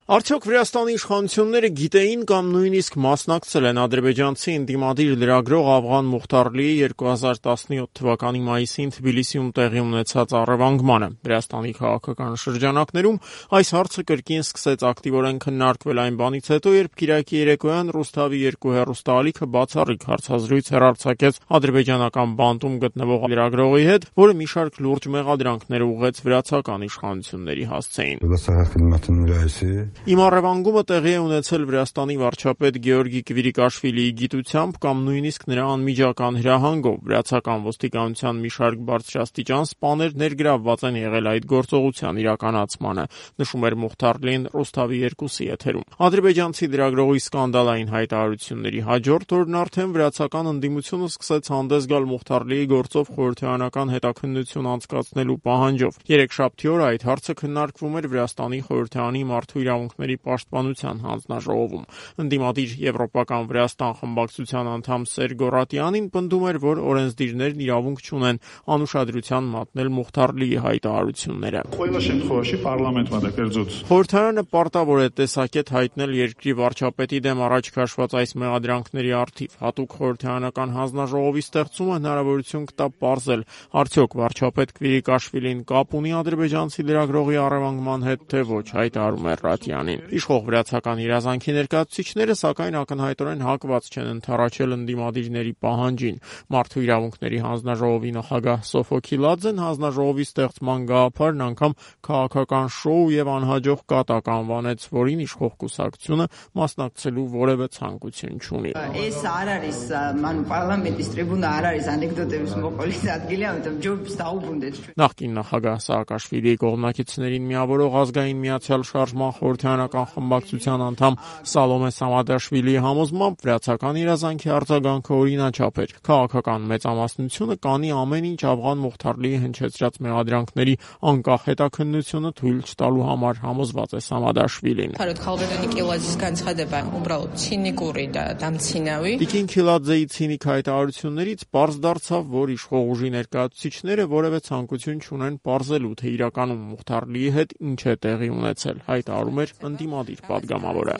Արդյոք Վրաստանի իշխանությունները գիտեին կամ նույնիսկ մասնակցել են ադրբեջանցի ընդդիմադիր լրագրող Ավղան Մուխթարլիի 2017 թվականի մայիսին Թբիլիսիում տեղի ունեցած առևանգմանը։ Վրաստանի քաղաքական շրջանակներում այս հարցը կրկին սկսեց ակտիվորեն քննարկվել այն բանից հետո, երբ Կիրակի երեկոյան Ռուսթավի 2 հեռուստաալիքը բացառիկ հարցազրույց հեռարձակեց ադրբեջանական բանտում գտնվող լրագրողի հետ, որը մի շարք լուրջ մեղադրանքներ ուղղեց վրացական իշխանությունների հասցեին։ Իմ առևանգումը տեղի է ունեցել Վրաստանի վարչապետ Գեորգի Կվիրիկաշվիլիի գիտությամբ կամ նույնիսկ նրա անմիջական հրահանգով։ Վրացական ոստիկանության մի շարք բարձրաստիճան սպաներ ներգրավված են եղել այդ գործողության իրականացմանը, նշում էր Մուխթարլին Ռուսթավի 2-ի եթերում։ Ադրբեջանցի լրագրողի սկանդալային հայտարարությունների հաջորդ օրն արդեն վրացական ընդդիմությունը սկսեց հանդես գալ Մուխթարլիի գործով խորհրդարանական հետաքննություն անցկացնելու պահանջով։ Երեքշաբթի օրը այդ հարցը քննարկվում էր Վրաստանի խորհրդարանի մարդու իրավունքների պաշտպանության հանձնաժողովում։ Ընդդիմադիր Եվրոպական Վրաստան խմբակցության անդամ Սերգո Ռատյանին պնդում էր, որ օրենսդիրներն իրավունք չունեն անուշադրության մատնել Մուխթարլիի հայտարարությունները։ Խորհրդարանը պարտավոր է տեսակետ հայտնել երկրի վարչապետի դեմ առաջ քաշված այս մեղադրանքների առթիվ։ Հատուկ խորհրդարանական հանձնաժողովի ստեղծումը հնարավորություն կտա պարզել, արդյոք վարչապետ Կվիրիկաշվիլին կապ ունի ադրբեջանցի լրագրողի առևանգման հետ, թե ոչ, հայտարարում է Ռատյանին։ Իշխող վրացական իրազանքի ներկայացուցիչները, սակայն, ակնհայտորեն հակված չեն ընդառաջել ընդդիմադիրների պահանջին։ Մարդու իրավունքների հանձնաժողովի նախագահ Սոֆո Քիլաձեն հանձնաժողովի ստեղծման գաղափարն անգամ քաղաքական շոու եւ անհաջող կատակ անվանեց, որին իշխող կուսակցությունը մասնակցելու որևէ ցանկություն չունի։ Այս არ არის, ման պարլամենտის տրիբունա არ არის անեկդոտების մոყոլից ადგილი, որտեղ ջոբս დაუბრუნდეთ։ Նախկին նախագահ Սաակաշվիլիի կողմնակիցներին միավորող ազգային միացյալ շարժման խորհրդարանական խմբակցության անդամ Սալոմե Սամադաշվիլիի համոզմամբ վրացական իրազանքի արձագանքը օրինաչափ էր։ Քաղաքական մեծամասնությունը կանի ամեն ինչ Ավղան Մուխթարլիի հնչեցրած մեղադրանքների անկախ հետաքննությունը թույլ չտալու համար, համոզված է Սամադաշվիլին։ Տիկին Քիլաձեի ցինիկ հայտարարություններից պարզ դարձավ, որ իշխող ուժի ներկայացուցիչները որևէ ցանկություն չունեն պարզելու, թե իրականում Մուխթարլիի հետ ինչ է տեղի ունեցել, հայտարարում էր ընդդիմադիր պատգամավորը։